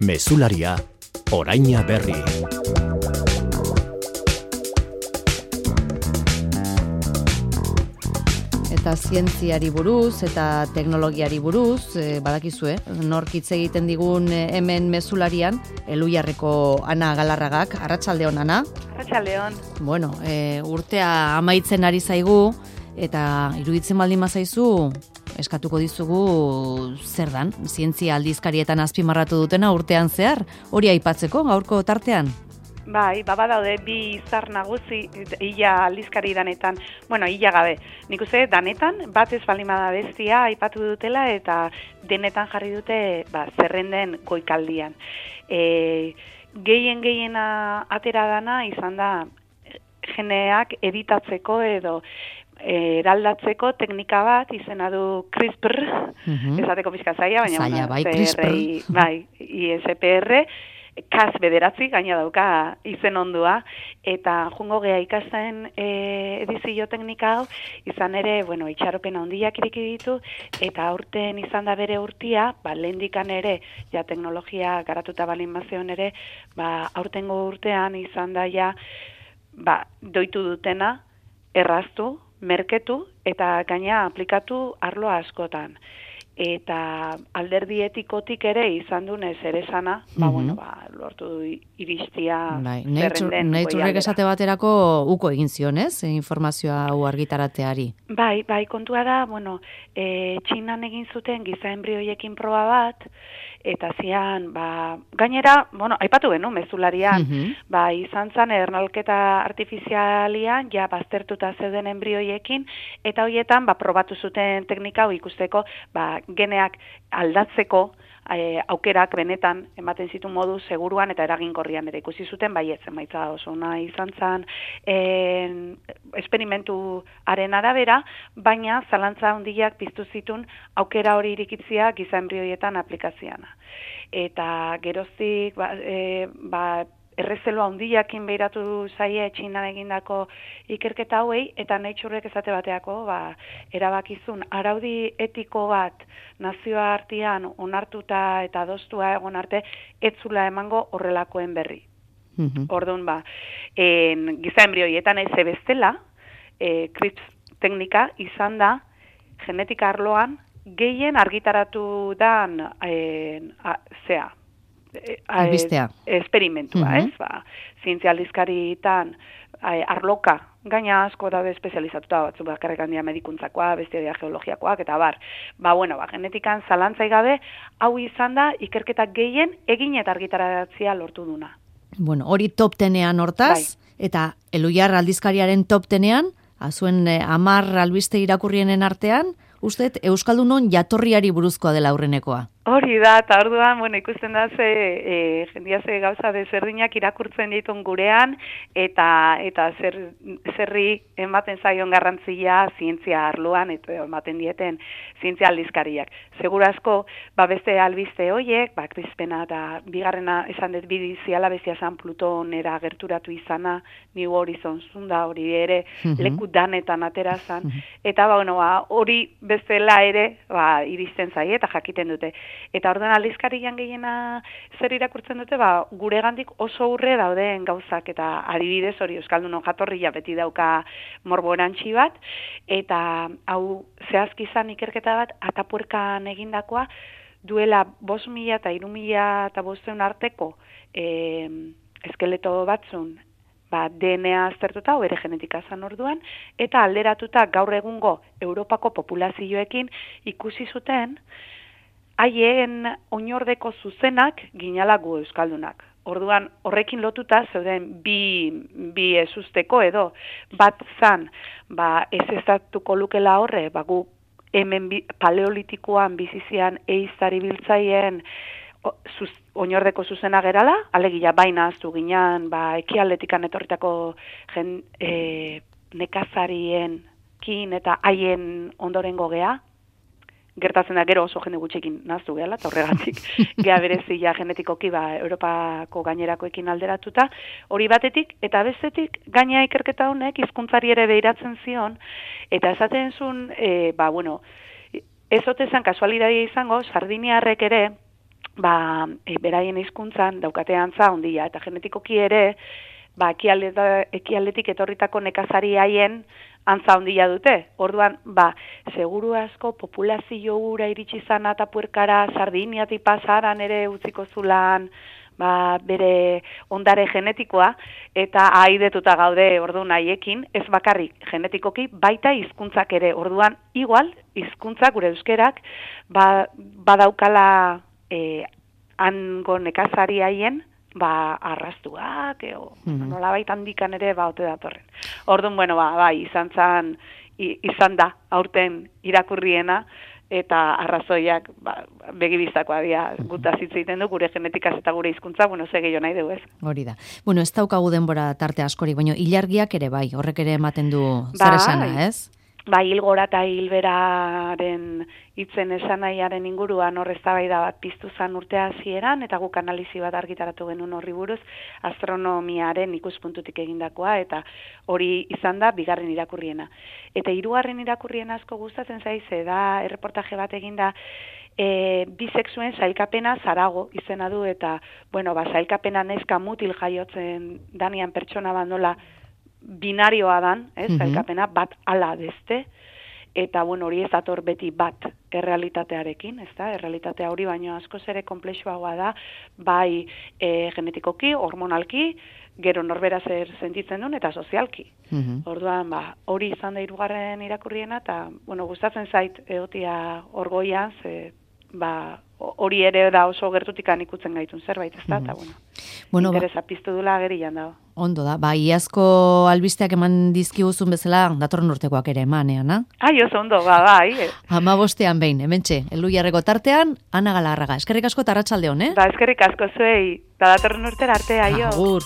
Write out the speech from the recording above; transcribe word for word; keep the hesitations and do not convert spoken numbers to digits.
Mezularia, oraina berri. Eta zientziari buruz eta teknologiari buruz, e, badakizue, nork hitz egiten digun e, hemen mezularian, Elujarreko Ana Galarragak. Arratsaldeon, Ana. Arratsaldeon. Bueno, e, urtea amaitzen ari zaigu, eta iruditzen baldin bazaizu, eskatuko dizugu zer dan, zientzia aldizkarietan azpimarratu dutena urtean zehar, hori aipatzeko gaurko tartean. Bai, baba daude bi izar nagusi ia aldizkari danetan, bueno, ia gabe. Nik uste danetan bat ez baldin bada bestia aipatu dutela eta denetan jarri dute ba, zerrenden goikaldian. E, gehien gehiena atera dana izan da geneak editatzeko edo eraldatzeko teknika bat izena du CRISPR, uh-huh. esateko pixka zaila, baina zaila, bai, CRISPR. Bai, I S P R, Cas bederatzi, gaina dauka izen ondua, eta jungo geha ikasten e, edizio teknika hau, izan ere, bueno, itxaropen handiak iriki ditu, eta aurten izan da bere urtia, ba, lehendikan ere, ja teknologia garatuta balin mazeon ere, ba, aurtengo urtean izan da ja, ba, doitu dutena, erraztu, merketu eta gaina aplikatu arlo askotan. Eta alderdi etikotik ere izan dunez ere sana, mm-hmm. ba, bueno, ba, lortu du iristia bai, zerrenden. Naturek esate baterako uko egin zion, ez? Informazioa hau argitarateari. Bai, bai, kontua da, bueno, e, Txinan egin zuten giza enbrioiekin proba bat, eta zian, ba, gainera, bueno, aipatu genu, mezularian, mm-hmm. ba, izan zan ernalketa artifizialian, ja, baztertuta zeuden enbrioiekin, eta horietan, ba, probatu zuten teknika hau ikusteko, ba, geneak aldatzeko e, aukerak benetan ematen zitu modu seguruan eta eraginkorrian ere ikusi zuten, bai ez emaitza oso ona izan zan e, esperimentuaren arabera, baina zalantza handiak piztu zitun aukera hori irikitzia giza enbrioietan aplikazioana. Eta geroztik ba, e, ba errezelo handiakin behiratu zaie Txinan egindako ikerketa hauei, eta Naturek esate bateako, ba, erabakizun araudi etiko bat nazioa artean onartuta eta adostua egon arte, etzula emango horrelakoen berri. Mm-hmm. Orduan, ba, en, giza enbrioietan ez bestela, e, CRISPR teknika izan da genetika arloan gehien argitaratu dan e, a, zea, albistea. Esperimentua, mm-hmm. ez? Ba, zientzia aldizkaritan arloka, gaina asko daude espezializatuta, batzu bakarrik handia medikuntzakoa, bestia dia geologiakoak, eta bar. Ba, bueno, ba, genetikan zalantzai gabe, hau izan da ikerketak gehien egin eta argitaratzea lortu duna. Bueno, hori top tenean hortaz, bai. Eta Elujar aldizkariaren top tenean, azuen eh, amar albiste irakurrienen artean, uste, Euskaldunon jatorriari buruzkoa dela aurrenekoa. Hori da, eta orduan, bueno, ikusten da ze, e, jendia ze gauza desberdinak irakurtzen ditun gurean, eta eta zer, zerri ematen zaion garrantzia zientzia arloan, eta ematen dieten zientzia aldizkariak. Segurazko, ba beste albiste hoiek, ba CRISPRena eta bigarrena esan dut bidiziala bestia zan Plutonera gerturatu izana, New Horizons zunda hori ere, mm-hmm. leku danetan atera zan, mm-hmm. eta ba, bueno, ba, hori bestela ere, ba, iristen zaie eta jakiten dute. Eta orduan aldizkarian gehiena zer irakurtzen dute, ba, gure gandik oso urre dauden gauzak, eta adibidez hori Euskaldunon jatorria beti dauka morborantzi bat, eta hau zehazki izan ikerketa bat, Atapuerkan egindakoa, duela bost mila eta hiru mila eta bosteun arteko e, eskeleto batzun, ba, D N A aztertuta, bere genetika zan orduan, eta alderatuta gaur egungo Europako populazioekin ikusi zuten, haien oinordeko zuzenak ginala gu euskaldunak. Orduan, horrekin lotuta zeuden bi, bi ezusteko edo, bat zan, ba, ez ezatuko lukela horre, ba, gu hemen bi, paleolitikoan bizizian eiztari biltzaien zuz, oinordeko zuzena gerala, alegia baina aztu ginean, ba, ekialdetikan etorritako jen, e, nekazarien kin eta haien ondorengo gea, gertatzen da gero oso jende gutxekin naztu gehala, eta horregatik geha berezia genetikoki ba, Europako gainerakoekin alderatuta, hori batetik, eta bestetik gaina ikerketa honek hizkuntzari ere behiratzen zion, eta esaten zuen, e, ba, bueno, ez ote zan kasualidadia izango, sardiniarrek ere, ba, e, beraien hizkuntzan daukate antza ondia, eta genetikoki ere, ba, ekialdetik etorritako nekazari haien antza ondia dute. Orduan, ba, seguru asko populazio ura iritsi zana eta puerkara Sardiniatik pasaran ere utziko zulan, ba, bere ondare genetikoa, eta ahaidetuta gaude orduan haiekin, ez bakarrik genetikoki, baita hizkuntzak ere. Orduan, igual, hizkuntzak gure euskerak, ba, badaukala e, hango nekazari haien, ba, arrastuak, eo, mm-hmm. nolabait handikan ere, ba, ote datorren. Orduan, bueno, ba, bai, izan zan, izan da, aurten irakurriena, eta arrazoiak, ba, begibistakoa dira, gutaz hitz egiten du, gure genetikaz eta gure hizkuntza, bueno, ze gehiago nahi dugu, ez? Hori da. Bueno, ez daukagu denbora tarte askorik, baina ilargiak ere bai, horrek ere ematen du zer esana, ez? Ba, hilgora eta hilberaren hitzen esanaiaren inguruan hor eztabaida bat piztu zan urtea hasieran eta guk analizi bat argitaratu genuen horri buruz astronomiaren ikuspuntutik egindakoa eta hori izan da bigarren irakurriena. Eta hirugarren irakurriena asko gustatzen zaize da erreportaje bat eginda e, bisexuen sailkapena zarago izena du eta bueno, ba sailkapena neska mutil jaiotzen danian pertsona bandola binarioa dan, ez, mm-hmm. sailkapena bat ala beste, eta bueno, hori ez dator beti bat errealitatearekin, ez da, errealitatea hori baino askoz ere konplexuagoa da, bai e, genetikoki, hormonalki, gero norbera zer sentitzen duen, eta sozialki. Mm-hmm. Orduan, ba, hori izan da hirugarren irakurriena, eta, bueno, gustatzen zait egotia orgoian, ze, ba, hori ere da oso gertutikan ikutzen gaitun zerbait, ez da, eta, mm-hmm. bueno, bueno interesa ba... piztu dula agerian dago. Ondo da, ba, iazko albisteak eman dizkiguzun bezala, datorren urtekoak ere emanean, na? Ai, oso ondo, ba, bai. Ama bostean behin, hementxe, Elluiarreko tartean, Ana Galarraga. Eskerrik asko eta arratsalde on, eh? Ba, eskerrik asko zuei, da datorren urtera arte, aio. Agur.